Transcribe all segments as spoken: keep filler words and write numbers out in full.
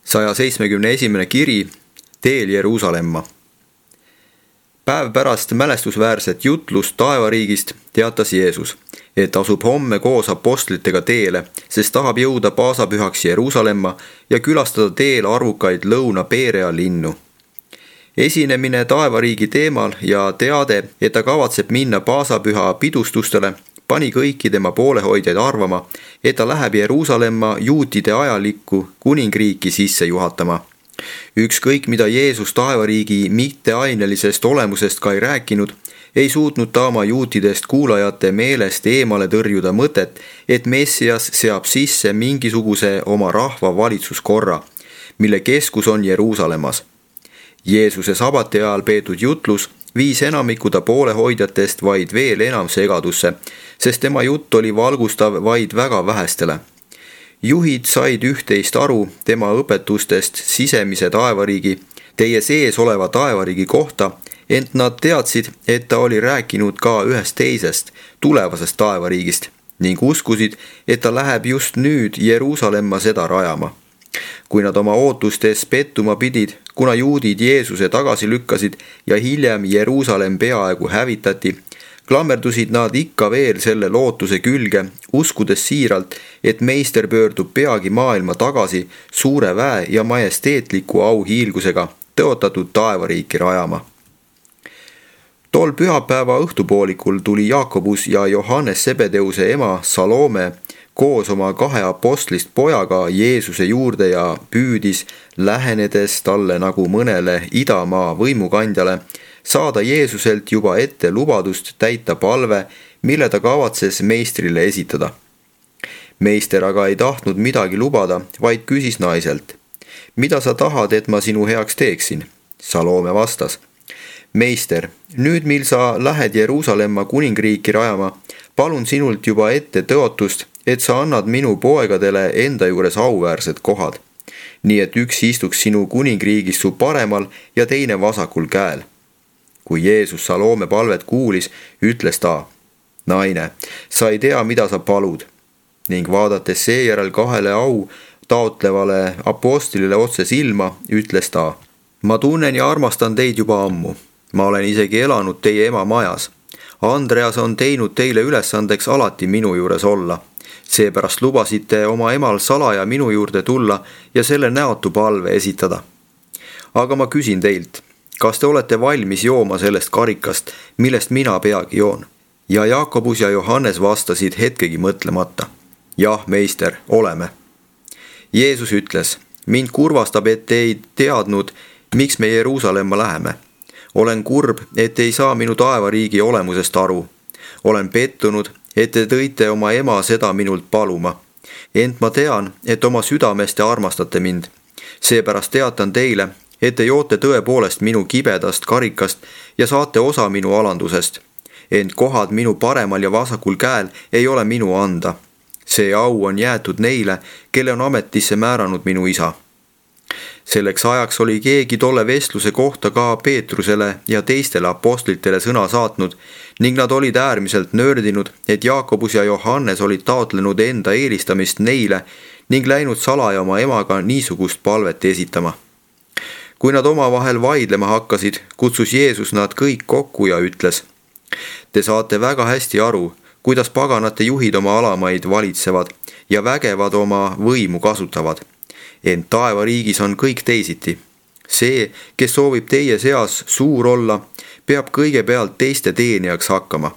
saja seitsmekümne esimene kiri Teel Jeruusalemma. Päev pärast mälestusväärset jutlust taevariigist teatas Jeesus, et asub homme koos apostlitega teele, sest tahab jõuda paasapühaks Jeruusalemma ja külastada teel arvukaid Lõuna-Perea linnu. Esinemine taevariigi teemal ja teade, et ta kavatseb minna paasapüha pidustustele, pani kõiki tema poolehoidjaid arvama, et ta läheb Jeruusalemma juutide ajalikku kuningriiki sisse juhatama. Ükskõik, mida Jeesus taevariigi mitteainelisest olemusest ka ei rääkinud, ei suutnud ta oma juutidest kuulajate meelest eemale tõrjuda mõtet, et Messias seab sisse mingisuguse oma rahva valitsuskorra, mille keskus on Jeruusalemmas. Jeesuse sabati ajal peetud jutlus viis enamiku ta poolehoidjatest vaid veel enam segadusse, sest tema jutt oli valgustav vaid väga vähestele. Juhid said üht-teist aru tema õpetustest sisemise taevariigi, teie sees oleva taevariigi kohta, ent nad teadsid, et ta oli rääkinud ka ühest teisest, tulevasest taevariigist ning uskusid, et ta läheb just nüüd Jeruusalemma seda rajama. Kui nad oma ootustes pettuma pidid, kuna juudid Jeesuse tagasi lükkasid ja hiljem Jeruusalemm peaaegu hävitati, klammerdusid nad ikka veel selle lootuse külge, uskudes siiralt, et meister pöördub peagi maailma tagasi suure väe ja majesteetliku auhiilgusega tõotatud taevariiki rajama. Tol pühapäeva õhtupoolikul tuli Jaakobus ja Johannes Sebedeuse ema Salome koos oma kahe apostlist pojaga Jeesuse juurde ja püüdis, lähenedes talle nagu mõnele idamaa võimukandjale, saada Jeesuselt juba ette lubadust täita palve, mille ta kavatses meistrile esitada. Meister aga ei tahtnud midagi lubada, vaid küsis naiselt, mida sa tahad, et ma sinu heaks teeksin? Salome vastas, meister, nüüd mil sa lähed Jeruusalemma kuningriiki rajama, palun sinult juba ette tõotust, et sa annad minu poegadele enda juures auväärsed kohad, nii et üks istuks sinu kuningriigis su paremal ja teine vasakul käel. Kui Jeesus Salome palvet kuulis, ütles ta, naine, sa ei tea, mida sa palud, ning vaadates seejärel kahele au taotlevale apostlile otse silma, ütles ta, ma tunnen ja armastan teid juba ammu, ma olen isegi elanud teie ema majas. Andreas on teinud teile ülesandeks alati minu juures olla. Seepärast lubasite oma emal salaja minu juurde tulla ja selle näotu palve esitada. Aga ma küsin teilt, kas te olete valmis jooma sellest karikast, millest mina peagi joon? Ja Jaakobus ja Johannes vastasid hetkegi mõtlemata. Jah, meister, oleme. Jeesus ütles, mind kurvastab, et ei teadnud, miks me Jeruusalemma läheme. Olen kurb, et ei saa minu taevariigi olemusest aru. Olen pettunud, et te tõite oma ema seda minult paluma. Ent ma tean, et oma südamest te armastate mind. Seepärast teatan teile, et te joote tõepoolest minu kibedast karikast ja saate osa minu alandusest. Ent kohad minu paremal ja vasakul käel ei ole minu anda. See au on jäetud neile, kelle on ametisse määranud minu isa. Selleks ajaks oli keegi tolle vestluse kohta ka Peetrusele ja teistele apostlitele sõna saatnud ning nad olid äärmiselt nördinud, et Jaakobus ja Johannes olid taotlenud enda eelistamist neile ning läinud salaja oma emaga niisugust palvet esitama. Kui nad omavahel vaidlema hakkasid, kutsus Jeesus nad kõik kokku ja ütles, te saate väga hästi aru, kuidas paganate juhid oma alamaid valitsevad ja vägevad oma võimu kasutavad. Ent taevariigis on kõik teisiti. See, kes soovib teie seas suur olla, peab kõigepealt teiste teenijaks hakkama.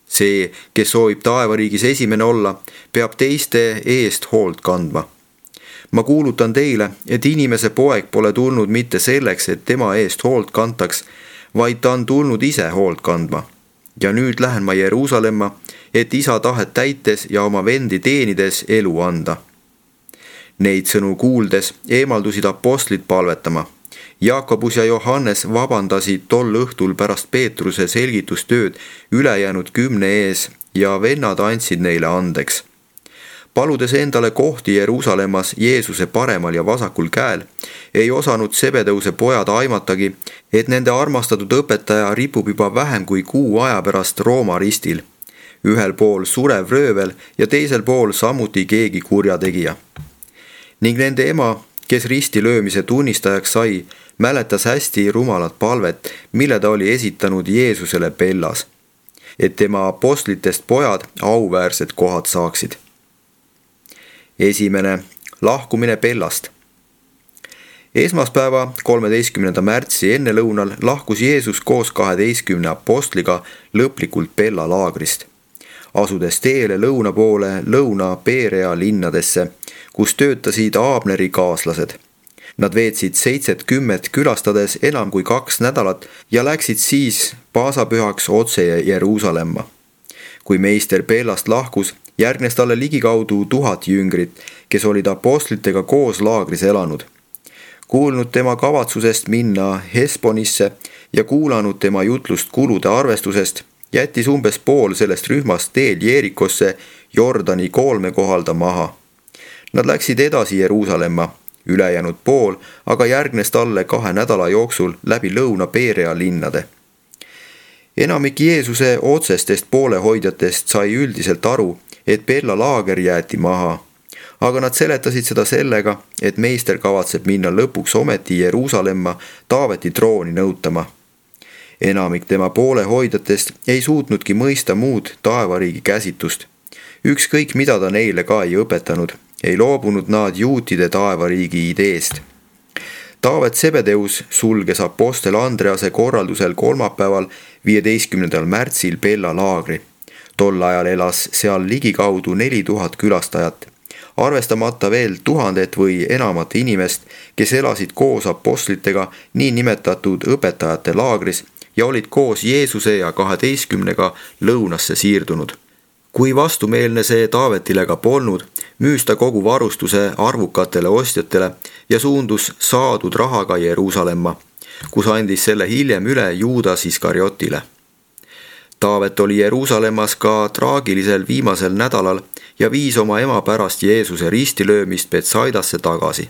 See, kes soovib taevariigis esimene olla, peab teiste eest hoolt kandma. Ma kuulutan teile, et inimese poeg pole tulnud mitte selleks, et tema eest hoolt kantaks, vaid ta on tulnud ise hoolt kandma. Ja nüüd lähen ma Jeruusalemma, et isa tahet täites ja oma vendi teenides elu anda. Neid sõnu kuuldes eemaldusid apostlid palvetama. Jaakobus ja Johannes vabandasid tol õhtul pärast Peetruse selgitustööd ülejäänud kümne ees ja vennad andsid neile andeks. Paludes endale kohti Jeruusalemmas Jeesuse paremal ja vasakul käel, ei osanud Sebedeuse pojad aimatagi, et nende armastatud õpetaja ripub juba vähem kui kuu aja pärast Rooma ristil. Ühel pool surev röövel ja teisel pool samuti keegi kurjategija. Ning nende ema kes ristilöömise tunnistajaks sai, mäletas hästi rumalat palvet, mille ta oli esitanud Jeesusele Pellas, et tema apostlitest pojad auväärsed kohad saaksid. Esimene, lahkumine Pellast. Esmaspäeva, kolmeteistkümnenda märtsi ennelõunal lahkus Jeesus koos kaheteistkümne apostliga lõplikult Pella laagrist, asudes teele lõuna poole Lõuna-Perea linnadesse, kus töötasid Abneri kaaslased. Nad veetsid seitsekümmend külastades enam kui kaks nädalat ja läksid siis paasapühaks otse Jeruusalemma. Kui meister Pellast lahkus, järgnes talle ligikaudu tuhat jüngrit, kes olid apostlitega koos laagris elanud. Kuulnud tema kavatsusest minna Hesbonisse ja kuulanud tema jutlust kulude arvestusest, jättis umbes pool sellest rühmast teel Jeerikosse Jordani koolme kohalda maha. Nad läksid edasi Jeruusalemma, ülejäänud pool aga järgnes talle kahe nädala jooksul läbi Lõuna-Perea linnade. Enamik Jeesuse otsestest poolehoidjatest sai üldiselt aru, et Pella laager jäeti maha, aga nad seletasid seda sellega, et meister kavatseb minna lõpuks ometi Jeruusalemma Taaveti trooni nõutama. Enamik tema poolehoidjatest ei suutnudki mõista muud taevariigi käsitust. Ükskõik mida ta neile ka ei õpetanud, ei loobunud nad juutide taevariigi ideest. Taavet Sebedeus sulges apostel Andrease korraldusel kolmapäeval, viieteistkümnendal märtsil Pella laagri. Tol ajal elas seal ligikaudu neli tuhat külastajat, arvestamata veel tuhandet või enamat inimest, kes elasid koos apostlitega niinimetatud õpetajate laagris ja olid koos Jeesuse ja kaheteistkümnega lõunasse siirdunud. Kui vastumeelne see Taavetile ka polnud, müüs ta kogu varustuse arvukatele ostjatele ja suundus saadud rahaga Jeruusalemma, kus andis selle hiljem üle Juudas Iskariotile. Taavet oli Jeruusalemmas ka traagilisel viimasel nädalal ja viis oma ema pärast Jeesuse ristilöömist Betsaidasse tagasi.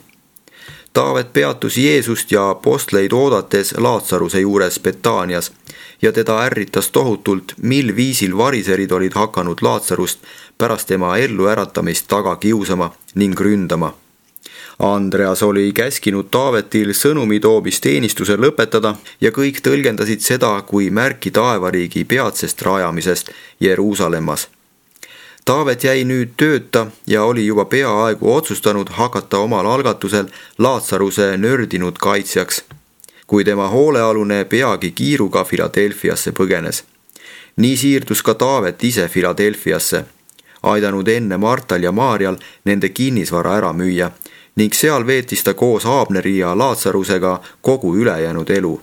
Taavet peatus Jeesust ja apostleid oodates Laatsaruse juures Betaanias ja teda ärritas tohutult, mil viisil variserid olid hakanud Laatsarust pärast tema elluäratamist taga kiusama ning ründama. Andreas oli käskinud Taavetil sõnumi toomisteenistuse lõpetada ja kõik tõlgendasid seda kui märki taevariigi peatsest rajamisest Jeruusalemmas. Taavet jäi nüüd tööta ja oli juba peaaegu otsustanud hakata omal algatusel Laatsaruse nördinud kaitsjaks, kui tema hoolealune peagi kiiruga Filadelfiasse põgenes. Nii siirdus ka Taavet ise Filadelfiasse, aidanud enne Martal ja Maarjal nende kinnisvara ära müüa ning seal veetis ta koos Abneri ja Laatsarusega kogu ülejäänud elu,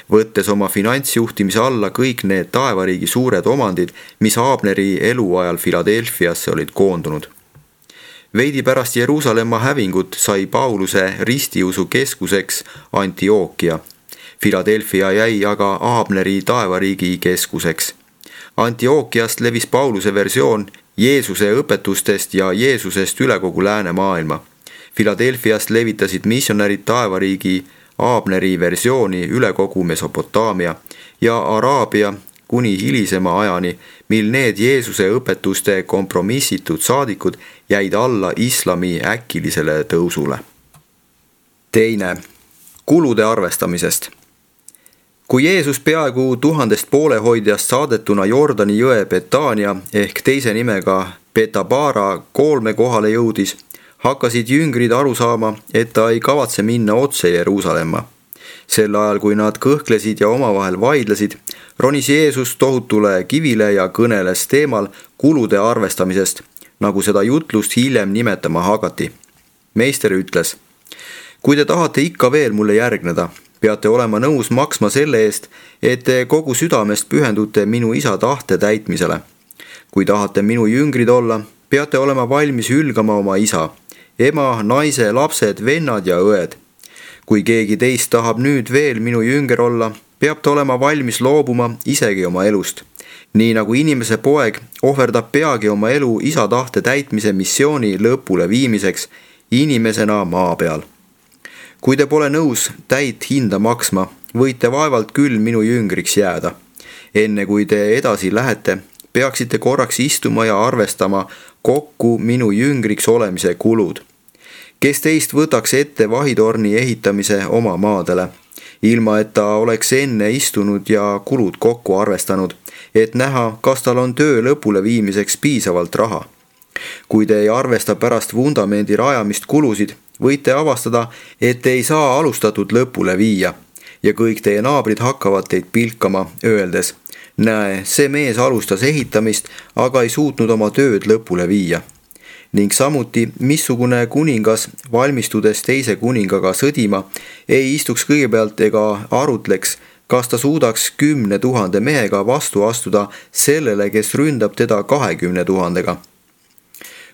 võttes oma finantsjuhtimise alla kõik need taevariigi suured omandid, mis Abneri eluajal Filadelfiasse olid koondunud. Veidi pärast Jeruusalemma hävingut sai Pauluse ristiusu keskuseks Antiookia. Filadelfia jäi aga Abneri taevariigi keskuseks. Antiookiast levis Pauluse versioon Jeesuse õpetustest ja Jeesusest üle kogu läänemaailma. Filadelfiast levitasid missionärid taevariigi Abneri versiooni üle kogu Mesopotaamia ja Araabia kuni hilisema ajani, mil need Jeesuse õpetuste kompromissitud saadikud jäid alla islami äkilisele tõusule. Teine, kulude arvestamisest. Kui Jeesus peaaegu tuhandest poolehoidjast saadetuna Jordani jõe Betaania ehk teise nimega Betabara koolme kohale jõudis, hakkasid jüngrid aru saama, et ta ei kavatse minna otse Jeruusalemma. Sel ajal, kui nad kõhklesid ja omavahel vaidlesid, ronis Jeesus tohutule kivile ja kõneles teemal kulude arvestamisest, nagu seda jutlust hiljem nimetama hakati. Meister ütles: kui te tahate ikka veel mulle järgneda, peate olema nõus maksma selle eest, et te kogu südamest pühendute minu isa tahte täitmisele. Kui tahate minu jüngrid olla, peate olema valmis hülgama oma isa, ema, naise, lapsed, vennad ja õed. Kui keegi teist tahab nüüd veel minu jünger olla, peab ta olema valmis loobuma isegi oma elust. Nii nagu inimese poeg ohverdab peagi oma elu isa tahte täitmise missiooni lõpule viimiseks inimesena maa peal. Kui te pole nõus täit hinda maksma, võite vaevalt küll minu jüngriks jääda. Enne kui te edasi lähete, peaksite korraks istuma ja arvestama kokku minu jüngriks olemise kulud. kes teist võtaks ette vahitorni ehitamise oma maadele, ilma et ta oleks enne istunud ja kulud kokku arvestanud, et näha, kas tal on töö lõpule viimiseks piisavalt raha. Kui te ei arvesta pärast vundamendi rajamist kulusid, võite avastada, et te ei saa alustatud lõpule viia ja kõik teie naabrid hakkavad teid pilkama, öeldes: näe, see mees alustas ehitamist, aga ei suutnud oma tööd lõpule viia. Ning samuti, missugune kuningas, valmistudes teise kuningaga sõdima, ei istuks kõigepealt ega arutleks, kas ta suudaks kümne tuhande mehega vastu astuda sellele, kes ründab teda kahekümne tuhandega.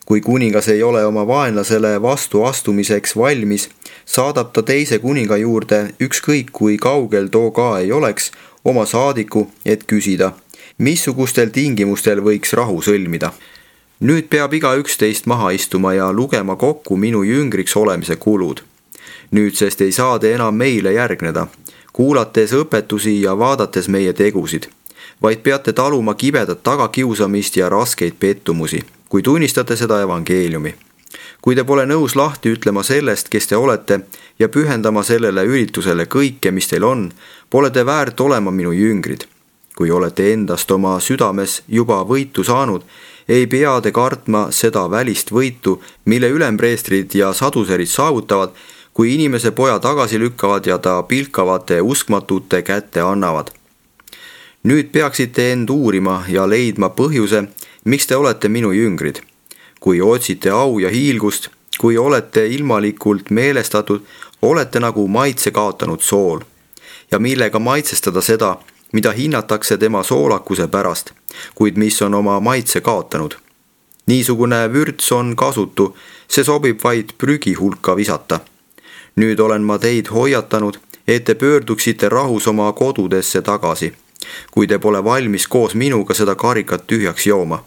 Kui kuningas ei ole oma vaenlasele vastu astumiseks valmis, saadab ta teise kuninga juurde, ükskõik kui kaugel too ka ei oleks, oma saadiku, et küsida, missugustel tingimustel võiks rahu sõlmida. Nüüd peab igaüks teist maha istuma ja lugema kokku minu jüngriks olemise kulud. Nüüdsest ei saa te enam meile järgneda, kuulates õpetusi ja vaadates meie tegusid, vaid peate taluma kibedat tagakiusamist ja raskeid pettumusi, kui tunnistate seda evangeeliumi. Kui te pole nõus lahti ütlema sellest, kes te olete, ja pühendama sellele üritusele kõike, mis teil on, pole te väärt olema minu jüngrid. Kui olete endast oma südames juba võitu saanud, ei pea te kartma seda välist võitu, mille ülempreestrid ja saduserid saavutavad, kui inimese poja tagasi lükkavad ja ta pilkavate uskmatute kätte annavad. Nüüd peaksite end uurima ja leidma põhjuse, miks te olete minu jüngrid. Kui otsite au ja hiilgust, kui olete ilmalikult meelestatud, olete nagu maitse kaotanud sool. Ja millega maitsestada seda, mida hinnatakse tema soolakuse pärast, kuid mis on oma maitse kaotanud. Niisugune vürts on kasutu, see sobib vaid prügi hulka visata. Nüüd olen ma teid hoiatanud, et te pöörduksite rahus oma kodudesse tagasi, kui te pole valmis koos minuga seda karikat tühjaks jooma,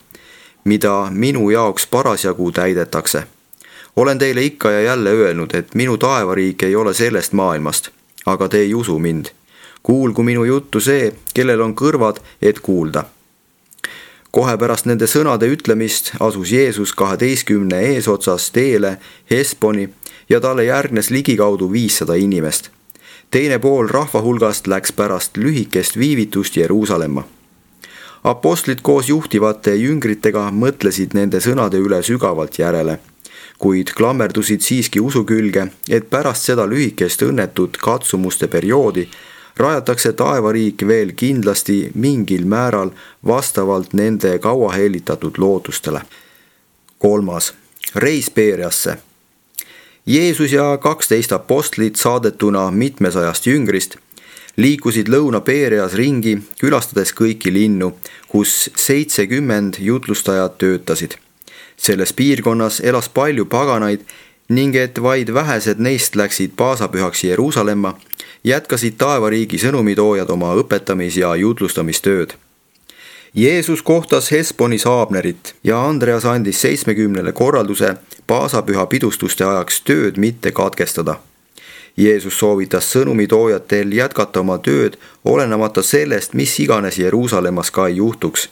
mida minu jaoks parasjagu täidetakse. Olen teile ikka ja jälle öelnud, et minu taevariik ei ole sellest maailmast, aga te ei usu mind. Kuulgu minu juttu see, kellel on kõrvad, et kuulda. Kohe pärast nende sõnade ütlemist asus Jeesus kaheteistkümne eesotsas teele Hesponi ja talle järgnes ligikaudu viissada inimest. Teine pool rahva hulgast läks pärast lühikest viivitust Jeruusalemma. Apostlid koos juhtivate jüngritega mõtlesid nende sõnade üle sügavalt järele, kuid klammerdusid siiski usu külge, et pärast seda lühikest õnnetut katsumuste perioodi rajatakse taevariik veel kindlasti mingil määral vastavalt nende kaua helitatud lootustele. Kolmas. Reis Beeriasse. Jeesus ja kaksteist apostlit saadetuna mitmesajast jüngrist liikusid Lõuna-Beerias ringi, külastades kõiki linnu, kus seitsekümmend jutlustajat töötasid. Selles piirkonnas elas palju paganaid ning et vaid vähesed neist läksid paasapühaks Jeruusalemma, jätkasid taevariigi sõnumitoojad oma õpetamis- ja jutlustamistööd. Jeesus kohtas Hesponis Abnerit ja Andreas andis seitsmekümnele korralduse paasapüha pidustuste ajaks tööd mitte katkestada. Jeesus soovitas sõnumitoojatel jätkata oma tööd, olenemata sellest, mis iganes Jeruusalemmas ka ei juhtuks.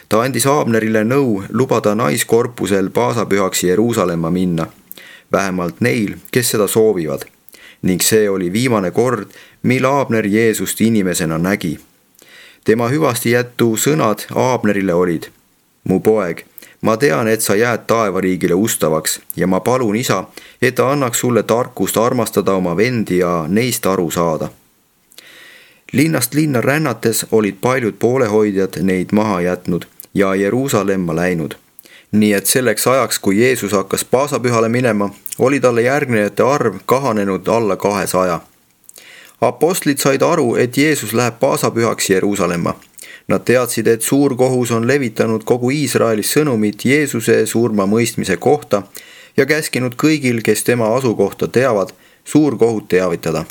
Ta andis Abnerile nõu lubada naiskorpusel paasapühaks Jeruusalemma minna, vähemalt neil, kes seda soovivad. Ning see oli viimane kord, mil Abner Jeesust inimesena nägi. Tema hüvastijätu sõnad Abnerile olid: mu poeg, ma tean, et sa jääd taevariigile ustavaks ja ma palun isa, et ta annaks sulle tarkust armastada oma vendi ja neist aru saada. Linnast linna rännates olid paljud poolehoidjad neid maha jätnud ja Jeruusalemma läinud. Nii et selleks ajaks, kui Jeesus hakkas paasapühale minema, oli talle järgnejate arv kahanenud alla kahesaja. Apostlid said aru, et Jeesus läheb paasapühaks Jeruusalemma. Nad teadsid, et suurkohus on levitanud kogu Iisraelis sõnumit Jeesuse surma mõistmise kohta ja käskinud kõigil, kes tema asukohta teavad, suurkohut teavitada.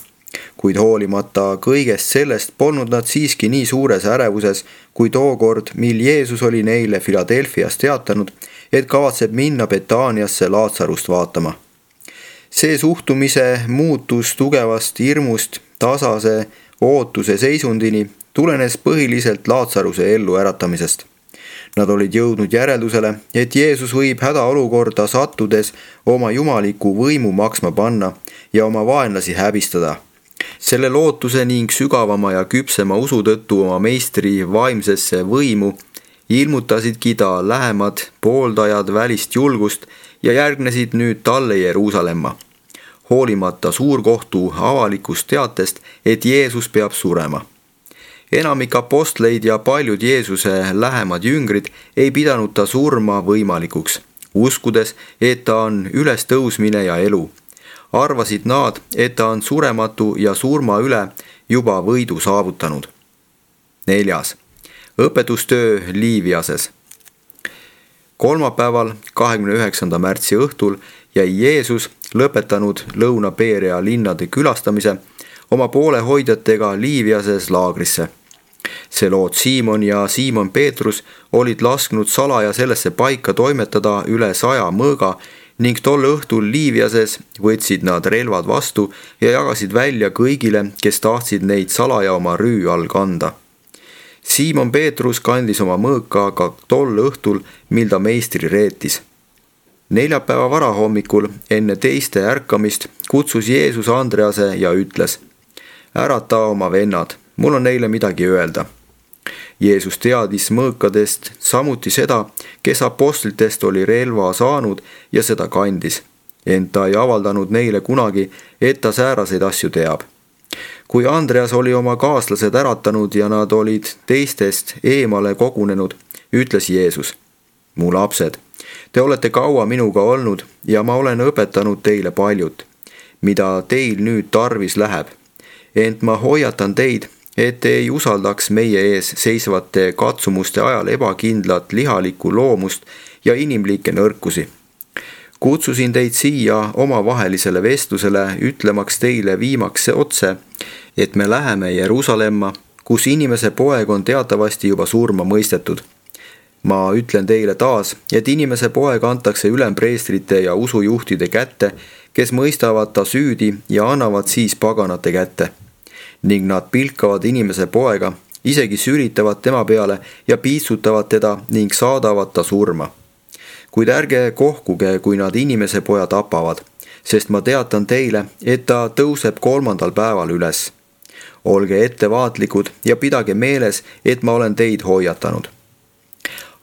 Kuid hoolimata kõigest sellest polnud nad siiski nii suures ärevuses, kui tookord, mil Jeesus oli neile Filadelfias teatanud, et kavatseb minna Betaaniasse Laatsarust vaatama. See suhtumise muutus tugevast hirmust tasase ootuse seisundini tulenes põhiliselt Laatsaruse ellu äratamisest. Nad olid jõudnud järeldusele, et Jeesus võib hädaolukorda sattudes oma jumaliku võimu maksma panna ja oma vaenlasi häbistada. Selle lootuse ning sügavama ja küpsema usu tõttu oma meistri vaimsesse võimu ilmutasidki ta lähemad pooldajad välist julgust ja järgnesid nüüd talle Jeruusalemma, hoolimata suurkohtu avalikust teatest, et Jeesus peab surema. Enamik apostleid ja paljud Jeesuse lähemad jüngrid ei pidanud ta surma võimalikuks, uskudes, et ta on ülestõusmine ja elu. Arvasid nad, et ta on surematu ja surma üle juba võidu saavutanud. Neljas. Õpetustöö Liiviases. Kolmapäeval, kahekümne üheksanda märtsi õhtul jäi Jeesus, lõpetanud Lõuna-Perea linnade külastamise, oma poolehoidjatega Liiviases laagrisse. Seloot Siimon ja Siimon Peetrus olid lasknud salaja sellesse paika toimetada üle saja mõõga ning tol õhtul Liiviases võtsid nad relvad vastu ja jagasid välja kõigile, kes tahtsid neid salaja oma rüü all kanda. Siimon Peetrus kandis oma mõõka ka tol õhtul, mil ta meistri reetis. Neljapäeva varahommikul enne teiste ärkamist kutsus Jeesus Andrease ja ütles: ärata oma vennad, mul on neile midagi öelda. Jeesus teadis mõõkadest samuti seda, kes apostlitest oli relva saanud ja seda kandis, ent ta ei avaldanud neile kunagi, et ta sääraseid asju teab. Kui Andreas oli oma kaaslased äratanud ja nad olid teistest eemale kogunenud, ütles Jeesus: mu lapsed, te olete kaua minuga olnud ja ma olen õpetanud teile paljut, mida teil nüüd tarvis läheb. Ent ma hoiatan teid, et te ei usaldaks meie ees seisvate katsumuste ajal ebakindlat lihalikku loomust ja inimlikke nõrkusi. Kutsusin teid siia omavahelisele vestlusele, ütlemaks teile viimaks otse, et me läheme Jeruusalemma, kus inimese poeg on teatavasti juba surma mõistetud. Ma ütlen teile taas, et inimese poeg antakse ülempreestrite ja usujuhtide kätte, kes mõistavad ta süüdi ja annavad siis paganate kätte. Ning nad pilkavad inimese poega, isegi sülitavad tema peale ja piitsutavad teda ning saadavad ta surma. Kuid ärge kohkuge, kui nad inimese poja tapavad, sest ma teatan teile, et ta tõuseb kolmandal päeval üles. Olge ettevaatlikud ja pidage meeles, et ma olen teid hoiatanud.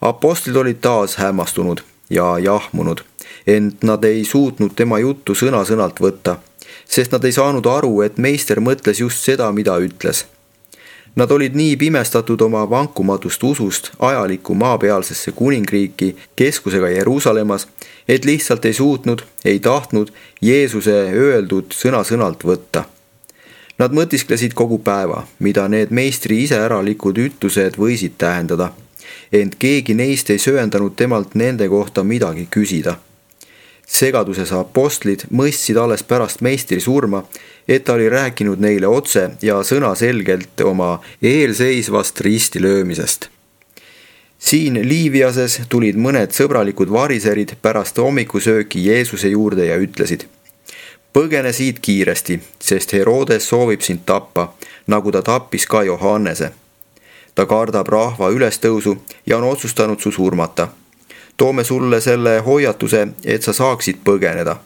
Apostlid olid taas hämmastunud ja jahmunud, ent nad ei suutnud tema juttu sõna-sõnalt võtta, sest nad ei saanud aru, et meister mõtles just seda, mida ütles. Nad olid nii pimestatud oma vankumatust usust ajalikku maapealsesse kuningriiki keskusega Jeruusalemmas, et lihtsalt ei suutnud, ei tahtnud Jeesuse öeldud sõna-sõnalt võtta. Nad mõtisklesid kogu päeva, mida need meistri iseäralikud ütlused võisid tähendada, ent keegi neist ei sööndanud temalt nende kohta midagi küsida. Segaduses apostlid mõistsid alles pärast meistri surma, et ta oli rääkinud neile otse ja sõnaselgelt oma eelseisvast ristilöömisest. Siin Liiviases tulid mõned sõbralikud variserid pärast hommikusööki Jeesuse juurde ja ütlesid: põgene siit kiiresti, sest Herodes soovib sind tappa, nagu ta tappis ka Johannese. Ta kardab rahva ülestõusu ja on otsustanud su surmata. Toome sulle selle hoiatuse, et sa saaksid põgeneda.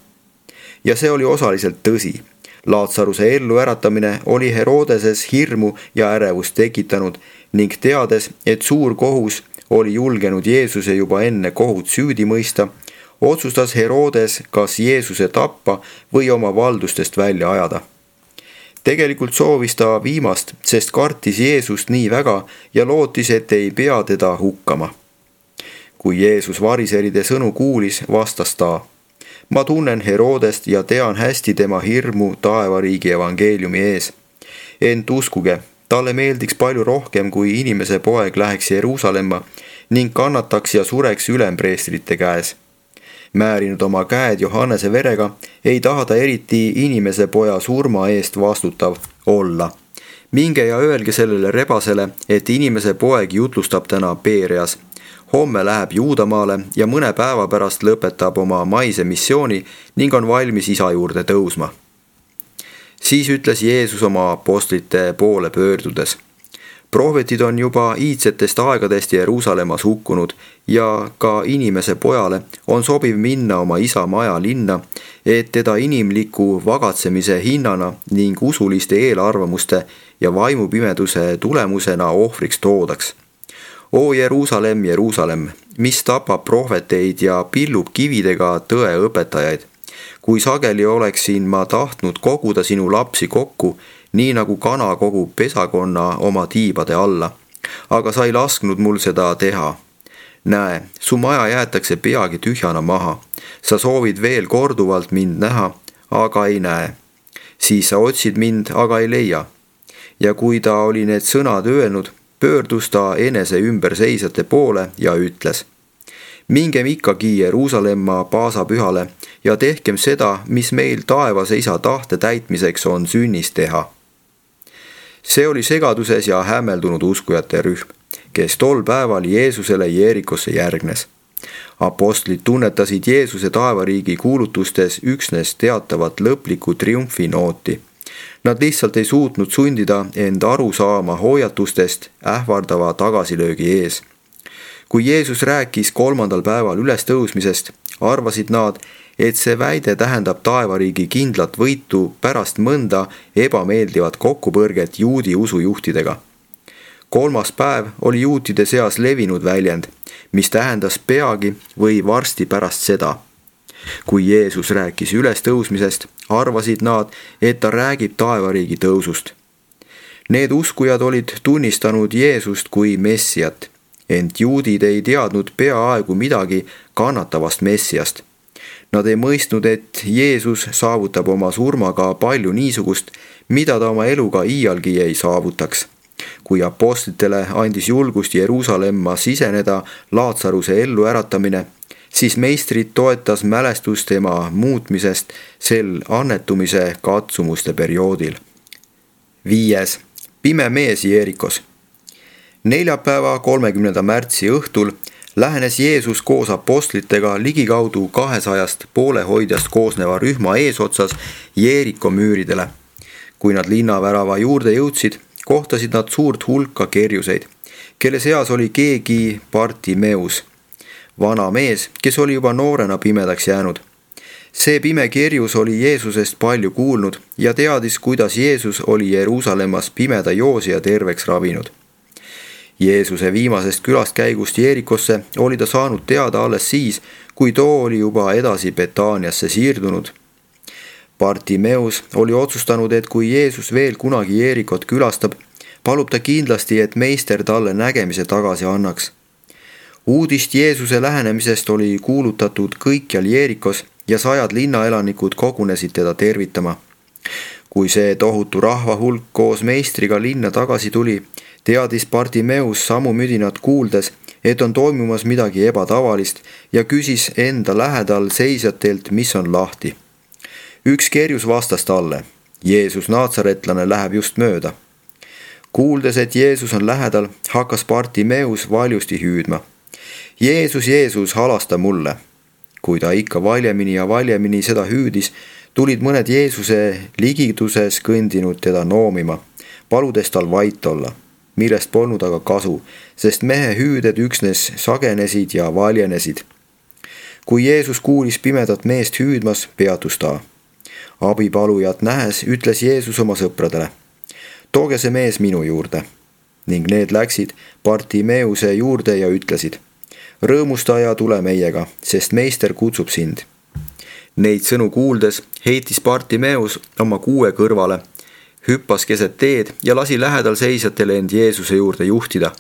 Ja see oli osaliselt tõsi. Laatsaruse ellu äratamine oli Herodeses hirmu ja ärevust tekitanud ning teades, et suur kohus oli julgenud Jeesuse juba enne kohut süüdi mõista, otsustas Herodes kas Jeesuse tappa või oma valdustest välja ajada. Tegelikult soovis ta viimast, sest kartis Jeesust nii väga ja lootis, et ei pea teda hukkama. Kui Jeesus variseride sõnu kuulis, vastas ta: ma tunnen Herodest ja tean hästi tema hirmu taevariigi evangeeliumi ees. Ent uskuge, talle meeldiks palju rohkem, kui inimese poeg läheks Jeruusalemma ning kannataks ja sureks ülempreestrite käes. Määrinud oma käed Johannese verega, ei taha ta eriti inimese poja surma eest vastutav olla. Minge ja öelge sellele rebasele, et inimese poeg jutlustab täna Peereas. Homme läheb Juudamaale ja mõne päeva pärast lõpetab oma maise missiooni ning on valmis isa juurde tõusma. Siis ütles Jeesus oma apostlite poole pöördudes: prohvetid on juba iidsetest aegadest Jeruusalemmas hukkunud ja ka inimese pojale on sobiv minna oma isa maja linna, et teda inimliku vagatsemise hinnana ning usuliste eelarvamuste ja vaimupimeduse tulemusena ohvriks toodaks. O Jeruusalemm, Jeruusalemm, mis tapab prohveteid ja pillub kividega tõe õpetajaid. Kui sageli oleksin ma tahtnud koguda sinu lapsi kokku, nii nagu kana kogub pesakonna oma tiibade alla, aga sa ei lasknud mul seda teha. Näe, su maja jäetakse peagi tühjana maha. Sa soovid veel korduvalt mind näha, aga ei näe. Siis sa otsid mind, aga ei leia. Ja kui ta oli need sõnad öelnud, pöördus ta enese ümberseisjate poole ja ütles: Mingem ikkagi Jeruusalemma paasapühale ja tehkem seda, mis meil taevase isa tahte täitmiseks on sünnis teha. See oli segaduses ja hämmeldunud uskujate rühm, kes tol päeval Jeesusele Jeerikosse järgnes. Apostlid tunnetasid Jeesuse taevariigi kuulutustes üksnes teatavat lõplikku triumfinooti. Nad lihtsalt ei suutnud sundida end aru saama hoiatustest ähvardava tagasilöögi ees. Kui Jeesus rääkis kolmandal päeval ülestõusmisest, arvasid nad, et see väide tähendab taevariigi kindlat võitu pärast mõnda ebameeldivat kokkupõrget juudi usujuhtidega. Kolmas päev oli juutide seas levinud väljend, mis tähendas peagi või varsti pärast seda. Kui Jeesus rääkis ülestõusmisest, arvasid nad, et ta räägib taevariigi tõusust. Need uskujad olid tunnistanud Jeesust kui messiat, ent juudid ei teadnud peaaegu midagi kannatavast messiast. Nad ei mõistnud, et Jeesus saavutab oma surmaga palju niisugust, mida ta oma eluga iialgi ei saavutaks. Kui apostlitele andis julgust Jeruusalemma siseneda Laatsaruse ellu äratamine, siis meistrid toetas mälestus tema muutmisest sel annetumise katsumuste perioodil. Viies. Pime mees Jeerikos. Neljapäeva kolmekümnenda märtsi õhtul lähenes Jeesus koos apostlitega ligikaudu kahesajast poolehoidjast koosneva rühma eesotsas Jeeriko müüridele. Kui nad linnavärava juurde jõudsid, kohtasid nad suurt hulka kerjuseid, kelle seas oli keegi Bartimeus, vana mees, kes oli juba noorena pimedaks jäänud. See pime kerjus oli Jeesusest palju kuulnud ja teadis, kuidas Jeesus oli Jeruusalemmas pimeda joosija terveks ravinud. Jeesuse viimasest külaskäigust Jeerikosse oli ta saanud teada alles siis, kui too oli juba edasi Betaaniasse siirdunud. Bartimeus oli otsustanud, et kui Jeesus veel kunagi Jeerikot külastab, palub ta kindlasti, et meister talle nägemise tagasi annaks. Uudist Jeesuse lähenemisest oli kuulutatud kõikjal Jeerikos ja sajad linnaelanikud kogunesid teda tervitama. Kui see tohutu rahvahulk koos meistriga linna tagasi tuli, teadis Bartimeus samu müdinat kuuldes, et on toimumas midagi ebatavalist ja küsis enda lähedal seisjatelt, mis on lahti. Üks kerjus vastas talle: Jeesus Naatsaretlane läheb just mööda. Kuuldes, et Jeesus on lähedal, hakkas Bartimeus valjusti hüüdma: Jeesus, Jeesus, halasta mulle. Kui ta ikka valjemini ja valjemini seda hüüdis, tulid mõned Jeesuse ligiduses kõndinud teda noomima, paludes tal vait olla, millest polnud aga kasu, sest mehe hüüded üksnes sagenesid ja valjenesid. Kui Jeesus kuulis pimedat meest hüüdmas, peatus ta. Abipalujat nähes ütles Jeesus oma sõpradele: tooge see mees minu juurde. Ning need läksid Bartimeuse juurde ja ütlesid: rõõmusta ja tule meiega, sest meister kutsub sind. Neid sõnu kuuldes heitis Bartimeus oma kuue kõrvale, hüppas keset teed ja lasi lähedal seisjatele end Jeesuse juurde juhtida.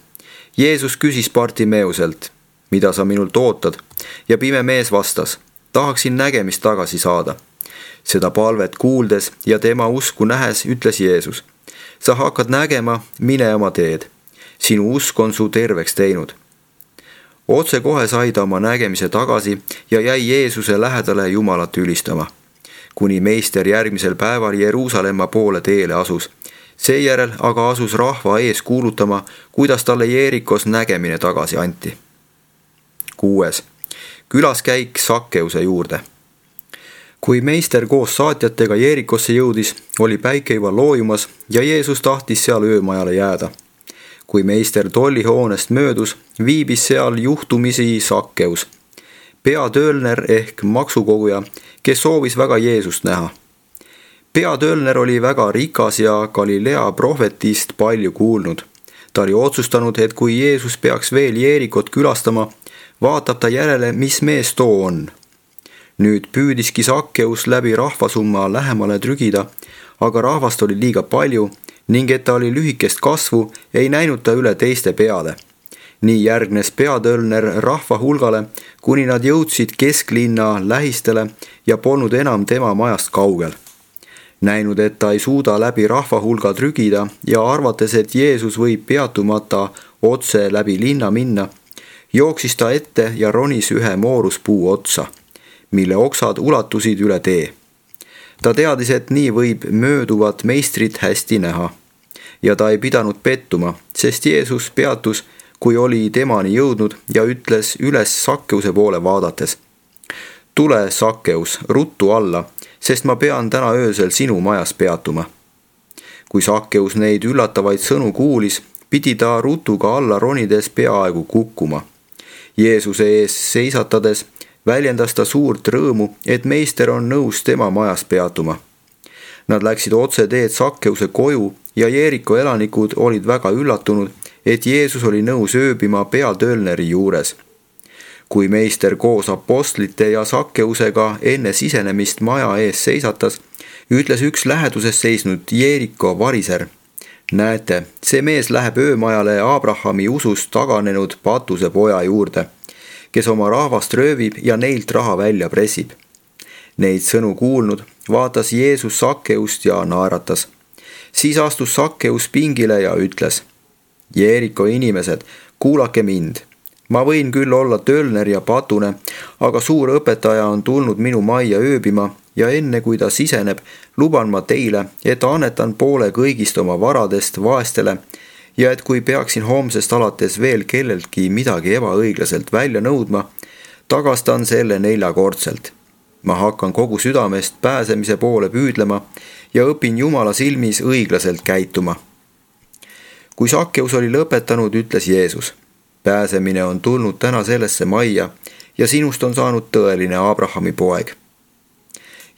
Jeesus küsis Bartimeuselt: mida sa minult ootad? Ja pime mees vastas: tahaksin nägemist tagasi saada. Seda palvet kuuldes ja tema usku nähes ütles Jeesus: sa hakkad nägema, mine oma teed. Sinu usk on su terveks teinud. Otse kohe sai ta oma nägemise tagasi ja jäi Jeesuse lähedale Jumalat ülistama, kuni meister järgmisel päeval Jeruusalemma poole teele asus. Seejärel aga asus rahva ees kuulutama, kuidas talle Jeerikos nägemine tagasi anti. Kuues. Külaskäik Sakkeuse juurde. Kui meister koos saatjatega Jeerikosse jõudis, oli päike juba loojumas ja Jeesus tahtis seal öömajale jääda. kui meister tollihoonest möödus, viibis seal juhtumisi Sakkeus, peatöölner ehk maksukoguja, kes soovis väga Jeesust näha. peatöölner oli väga rikas ja Galilea prohvetist palju kuulnud. Ta oli otsustanud, et kui Jeesus peaks veel Jeerikot külastama, vaatab ta järele, mis mees too on. Nüüd püüdiski Sakkeus läbi rahvasumma lähemale trügida, aga rahvast oli liiga palju ning et ta oli lühikest kasvu, ei näinud ta üle teiste peale. Nii järgnes peatöölner rahva hulgale, kuni nad jõudsid kesklinna lähistele ja polnud enam tema majast kaugel. Näinud, et ta ei suuda läbi rahva hulga trügida ja arvates, et Jeesus võib peatumata otse läbi linna minna, jooksis ta ette ja ronis ühe mooruspuu otsa, mille oksad ulatusid üle tee. Ta teadis, et nii võib mööduvat meistrit hästi näha. Ja ta ei pidanud pettuma, sest Jeesus peatus, kui oli temani jõudnud ja ütles üles Sakkeuse poole vaadates: tule, Sakkeus, ruttu alla, sest ma pean täna öösel sinu majas peatuma. Kui Sakkeus neid üllatavaid sõnu kuulis, pidi ta rutuga alla ronides peaaegu kukkuma. Jeesuse ees seisatades väljendas ta suurt rõõmu, et meister on nõus tema majas peatuma. Nad läksid otse teed Sakkeuse koju ja Jeeriko elanikud olid väga üllatunud, et Jeesus oli nõus ööbima peatöölneri juures. Kui meister koos apostlite ja Sakkeusega enne sisenemist maja ees seisatas, ütles üks läheduses seisnud Jeeriko variser: näete, see mees läheb öömajale Abrahami usust taganenud patuse poja juurde, kes oma rahvast röövib ja neilt raha välja pressib. Neid sõnu kuulnud vaatas Jeesus Sakkeust ja naeratas. Siis astus Sakkeus pingile ja ütles: Jeeriko inimesed, kuulake mind. Ma võin küll olla töölner ja patune, aga suur õpetaja on tulnud minu majja ööbima ja enne kui ta siseneb, luban ma teile, et annetan poole kõigist oma varadest vaestele ja et kui peaksin homsest alates veel kelleltki midagi ebaõiglaselt välja nõudma, tagastan selle neljakordselt. Ma hakkan kogu südamest pääsemise poole püüdlema ja õpin Jumala silmis õiglaselt käituma. Kui Sakkeus oli lõpetanud, ütles Jeesus: pääsemine on tulnud täna sellesse majja ja sinust on saanud tõeline Abrahami poeg.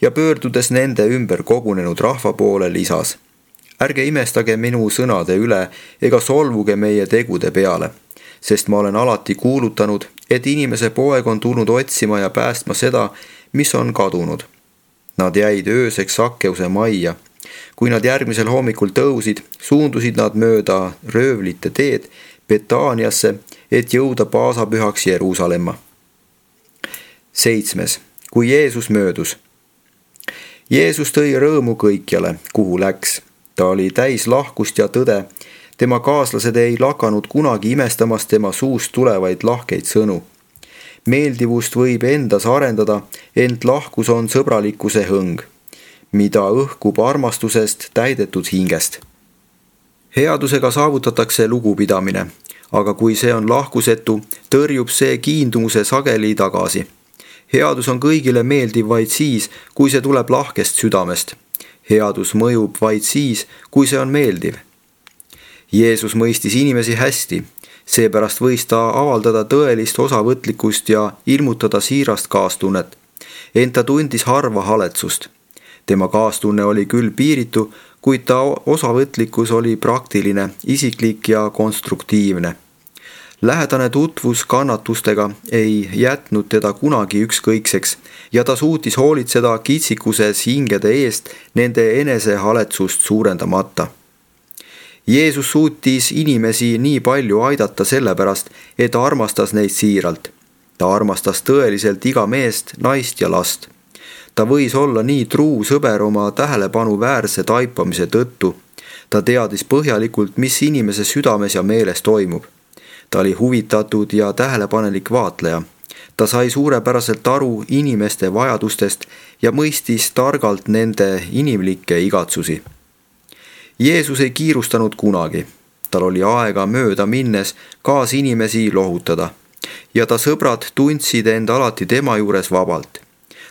Ja pöördudes nende ümber kogunenud rahva poole lisas: ärge imestage minu sõnade üle ega solvuge meie tegude peale, sest ma olen alati kuulutanud, et inimese poeg on tulnud otsima ja päästma seda, mis on kadunud. Nad jäid ööseks Sakkeuse majja. Kui nad järgmisel hommikul tõusid, suundusid nad mööda röövlite teed Betaaniasse, et jõuda paasapühaks Jeruusalemma. Seitsmes. Kui Jeesus möödus. Jeesus tõi rõõmu kõikjale, kuhu läks. Ta oli täis lahkust ja tõde. Tema kaaslased ei lakanud kunagi imestamast tema suust tulevaid lahkeid sõnu. Meeldivust võib endas arendada, ent lahkus on sõbralikkuse hõng, mida õhkub armastusest täidetud hingest. Headusega saavutatakse lugupidamine, aga kui see on lahkusetu, tõrjub see kiindumuse sageli tagasi. Headus on kõigile meeldiv vaid siis, kui see tuleb lahkest südamest. Headus mõjub vaid siis, kui see on meeldiv. Jeesus mõistis inimesi hästi, seepärast võis ta avaldada tõelist osavõtlikkust ja ilmutada siirast kaastunnet, ent ta tundis harva haletsust. Tema kaastunne oli küll piiritu, kuid ta osavõtlikkus oli praktiline, isiklik ja konstruktiivne. Lähedane tutvus kannatustega ei jätnud teda kunagi ükskõikseks ja ta suutis hoolitseda kitsikuses hingede eest nende enesehaletsust suurendamata. Jeesus suutis inimesi nii palju aidata sellepärast, et ta armastas neid siiralt. Ta armastas tõeliselt iga meest, naist ja last. Ta võis olla nii truu sõber oma tähelepanu väärse taipamise tõttu. Ta teadis põhjalikult, mis inimese südames ja meeles toimub. Ta oli huvitatud ja tähelepanelik vaatleja. Ta sai suurepäraselt aru inimeste vajadustest ja mõistis targalt nende inimlikke igatsusi. Jeesus ei kiirustanud kunagi. Tal oli aega mööda minnes kaas inimesi lohutada ja ta sõbrad tundsid end alati tema juures vabalt.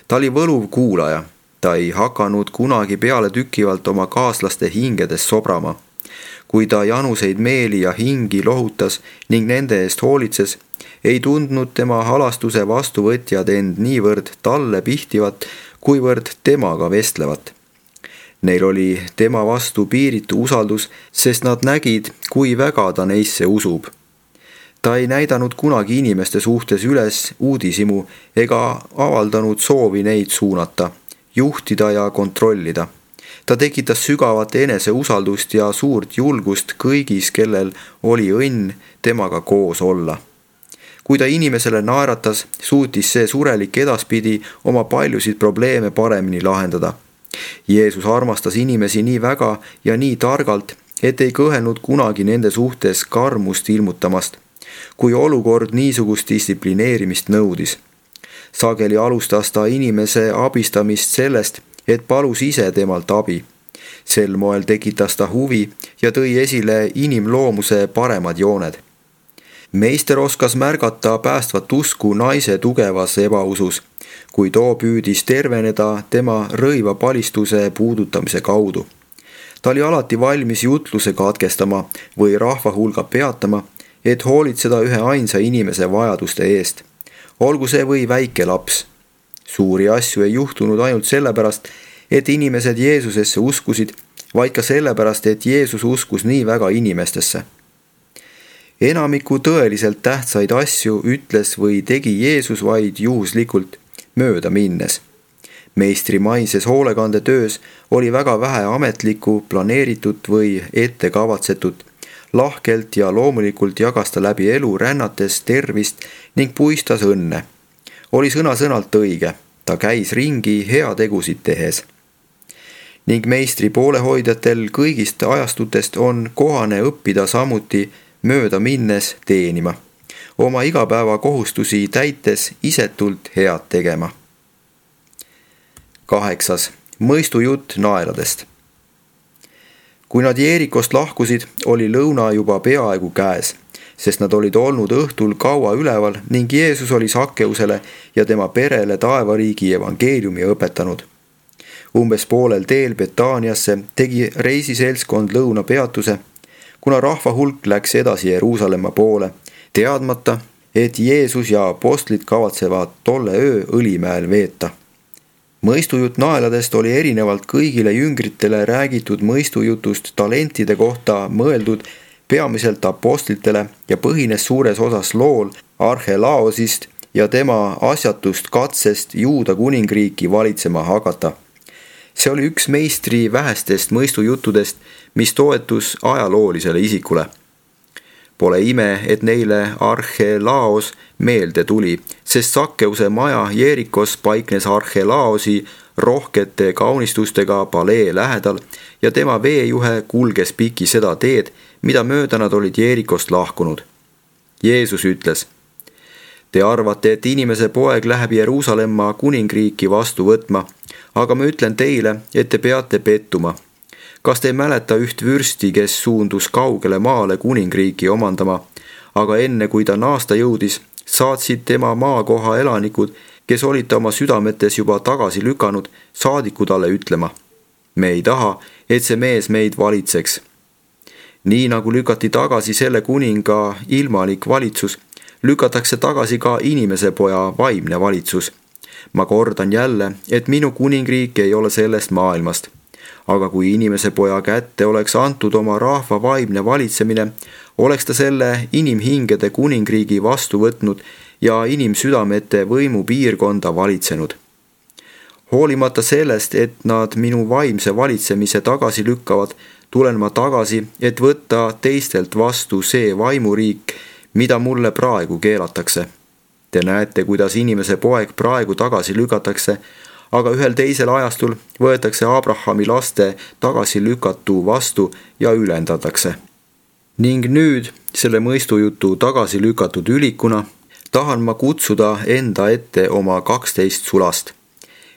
Ta oli võluv kuulaja. Ta ei hakanud kunagi peale tükivalt oma kaaslaste hingedes sobrama. kui ta januseid meeli ja hingi lohutas ning nende eest hoolitses, ei tundnud tema halastuse vastuvõtjad end niivõrd talle pihtivat, kuivõrd temaga vestlevat. Neil oli tema vastu piiritu usaldus, sest nad nägid, kui väga ta neisse usub. Ta ei näidanud kunagi inimeste suhtes üles uudishimu ega avaldanud soovi neid suunata, juhtida ja kontrollida. Ta tekitas sügavat eneseusaldust ja suurt julgust kõigis, kellel oli õnn temaga koos olla. Kui ta inimesele naeratas, suutis see surelik edaspidi oma paljusid probleeme paremini lahendada. Jeesus armastas inimesi nii väga ja nii targalt, et ei kõhelnud kunagi nende suhtes karmust ilmutamast, kui olukord niisugust distsiplineerimist nõudis. Sageli alustas ta inimese abistamist sellest, et palus ise temalt abi. Sel moel tekitas ta huvi ja tõi esile inimloomuse paremad jooned. Meister oskas märgata päästvat usku naise tugevas ebausus, kui too püüdis terveneda tema rõiva palistuse puudutamise kaudu. Ta oli alati valmis jutluse katkestama või rahvahulga peatama, et hoolitseda ühe ainsa inimese vajaduste eest. Olgu see või väike laps. Suuri asju ei juhtunud ainult sellepärast, et inimesed Jeesusesse uskusid, vaid ka sellepärast, et Jeesus uskus nii väga inimestesse. Enamiku tõeliselt tähtsaid asju ütles või tegi Jeesus vaid juhuslikult mööda minnes. Meistri maises hoolekandetöös oli väga vähe ametlikku, planeeritud või ette kavatsetut. Lahkelt ja loomulikult jagas ta läbi elu rännates tervist ning puistas õnne. Oli sõna-sõnalt õige, ta käis ringi heategusid tehes. Ning meistri poolehoidjatel kõigist ajastutest on kohane õppida samuti mööda minnes teenima, oma igapäeva kohustusi täites isetult head tegema. Kaheksas. Mõistujutt naeladest. Kui nad Jeerikost lahkusid, oli lõuna juba peaaegu käes, sest nad olid olnud õhtul kaua üleval ning Jeesus oli Sakkeusele ja tema perele taevariigi evangeeliumi õpetanud. Umbes poolel teel Betaaniasse tegi reisiseltskond lõunapeatuse, kuna rahva hulk läks edasi Jeruusalemma poole, teadmata, et Jeesus ja apostlid kavatsevad tolle öö Õlimäel veeta. Mõistujutt naeladest oli erinevalt kõigile jüngritele räägitud mõistujutust talentide kohta mõeldud peamiselt apostlitele ja põhines suures osas lool Arhelaosist ja tema asjatust katsest Juuda kuningriiki valitsema hakata. See oli üks meistri vähestest mõistujuttudest, mis toetus ajaloolisele isikule. Pole ime, et neile Arhelaos meelde tuli, sest Sakkeuse maja Jeerikos paiknes Arhelaosi rohkete kaunistustega palee lähedal ja tema veejuhe kulges piki seda teed, mida mööda nad olid Jeerikost lahkunud. Jeesus ütles: Te arvate, et inimese poeg läheb Jeruusalemma kuningriiki vastu võtma, aga ma ütlen teile, et te peate pettuma. Kas te ei mäleta üht vürsti, kes suundus kaugele maale kuningriiki omandama, aga enne kui ta naasta jõudis, saatsid tema maakoha elanikud, kes olid ta oma südametes juba tagasi lükanud, saadiku talle ütlema: Me ei taha, et see mees meid valitseks. Nii nagu lükati tagasi selle kuninga ilmalik valitsus, lükatakse tagasi ka inimese poja vaimne valitsus. Ma kordan jälle, et minu kuningriik ei ole sellest maailmast. Aga kui inimese poja kätte oleks antud oma rahva vaimne valitsemine, oleks ta selle inimhingede kuningriigi vastu võtnud ja inimsüdamete võimu piirkonda valitsenud. Hoolimata sellest, et nad minu vaimse valitsemise tagasi lükkavad, tulen ma tagasi, et võtta teistelt vastu see vaimuriik, mida mulle praegu keelatakse. Te näete, kuidas inimese poeg praegu tagasi lükatakse, aga ühel teisel ajastul võetakse Abrahami laste tagasi lükatu vastu ja ülendatakse. Ning nüüd, selle mõistujutu tagasi lükatud ülikuna, tahan ma kutsuda enda ette oma kaksteist sulast,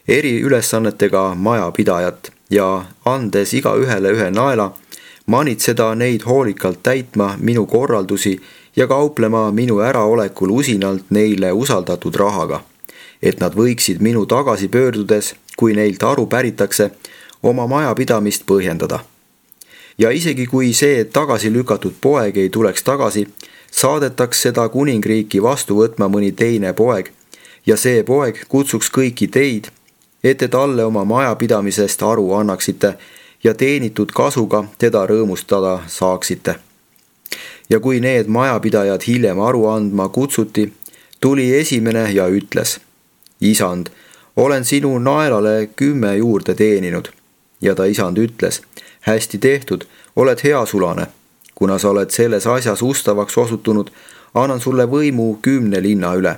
eri ülesannetega majapidajat ja andes iga ühele ühe naela, manitseda neid hoolikalt täitma minu korraldusi ja kauplema minu äraolekul usinalt neile usaldatud rahaga, et nad võiksid minu tagasi pöördudes, kui neilt aru päritakse, oma majapidamist põhjendada. ja isegi kui see tagasi lükatud poeg ei tuleks tagasi, saadetaks seda kuningriiki vastu võtma mõni teine poeg ja see poeg kutsuks kõiki teid, et te talle oma majapidamisest aru annaksite ja teenitud kasuga teda rõõmustada saaksite. Ja kui need majapidajad hiljem aru andma kutsuti, tuli esimene ja ütles: Isand, olen sinu naelale kümme juurde teeninud. Ja ta isand ütles: hästi tehtud, oled hea sulane. Kuna sa oled selles asjas ustavaks osutunud, annan sulle võimu kümne linna üle.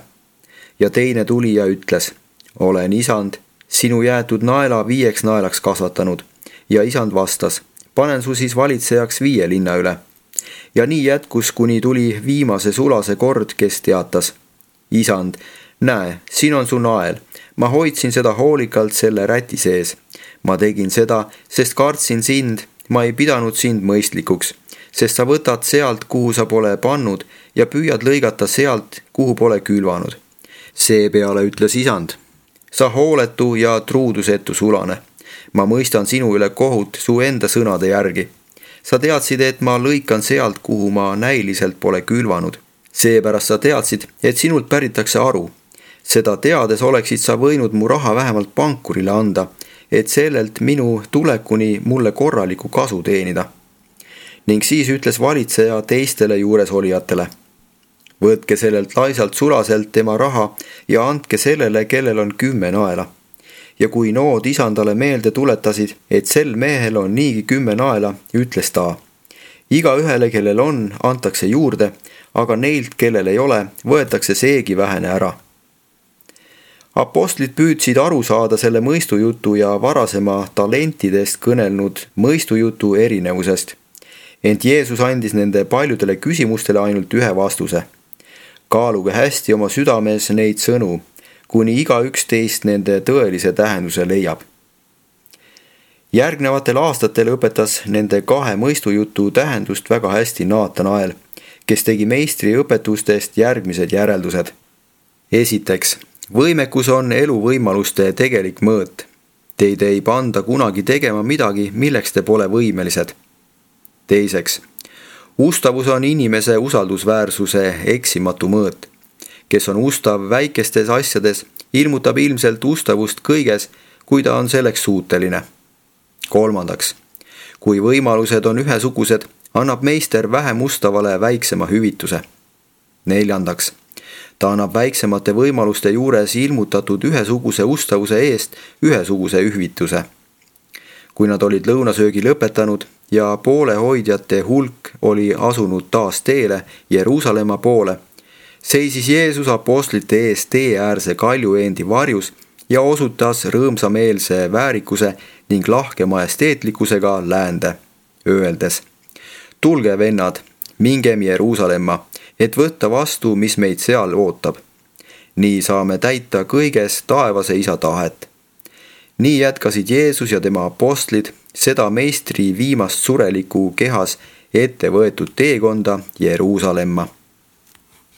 Ja teine tuli ja ütles: olen isand, sinu jäetud naela viieks naelaks kasvatanud. Ja isand vastas: panen su siis valitsejaks viie linna üle. Ja nii jätkus, kuni tuli viimase sulase kord, kes teatas: isand, näe, siin on su nael. Ma hoidsin seda hoolikalt selle räti sees. Ma tegin seda, sest kartsin sind, ma ei pidanud sind mõistlikuks, sest sa võtad sealt, kuhu sa pole pannud ja püüad lõigata sealt, kuhu pole külvanud. Seepeale ütles isand: sa hooletu ja truudusetu sulane. Ma mõistan sinu üle kohut su enda sõnade järgi. Sa teadsid, et ma lõikan sealt, kuhu ma näiliselt pole külvanud. Seepärast sa teadsid, et sinult päritakse aru. Seda teades oleksid sa võinud mu raha vähemalt pankurile anda, et sellelt minu tulekuni mulle korraliku kasu teenida. Ning siis ütles valitseja teistele juuresolijatele: võtke sellelt laisalt sulaselt tema raha ja andke sellele, kellel on kümme naela. Ja kui nood isandale meelde tuletasid, et sel mehel on niigi kümme naela, ütles ta: iga ühele, kellel on, antakse juurde, aga neilt, kellel ei ole, võetakse seegi vähene ära. Apostlid püüdsid aru saada selle mõistujutu ja varasema talentidest kõnelnud mõistujutu erinevusest. Ent Jeesus andis nende paljudele küsimustele ainult ühe vastuse: kaaluge hästi oma südames neid sõnu, kuni igaüks teist nende tõelise tähenduse leiab. Järgnevatel aastatel õpetas nende kahe mõistujutu tähendust väga hästi Naatanael, kes tegi meistri õpetustest järgmised järeldused. Esiteks, võimekus on eluvõimaluste tegelik mõõt. Teid ei panda kunagi tegema midagi, milleks te pole võimelised. Teiseks, ustavus on inimese usaldusväärsuse eksimatu mõõt. Kes on ustav väikestes asjades, ilmutab ilmselt ustavust kõiges, kui ta on selleks suuteline. Kolmandaks, kui võimalused on ühesugused, annab meister vähem ustavale väiksema hüvituse. Neljandaks, ta annab väiksemate võimaluste juures ilmutatud ühesuguse ustavuse eest ühesuguse hüvituse. Kui nad olid lõunasöögi lõpetanud ja poolehoidjate hulk oli asunud taas teele Jeruusalemma poole, seisis Jeesus apostlite ees teeäärse kaljuveendi varjus ja osutas rõõmsameelse väärikuse ning lahke majesteetlikkusega läände, öeldes: tulge, vennad, mingem Jeruusalemma, et võtta vastu, mis meid seal ootab. Nii saame täita kõiges taevase isa tahet. Nii jätkasid Jeesus ja tema apostlid seda meistri viimast sureliku kehas ette võetud teekonda Jeruusalemma.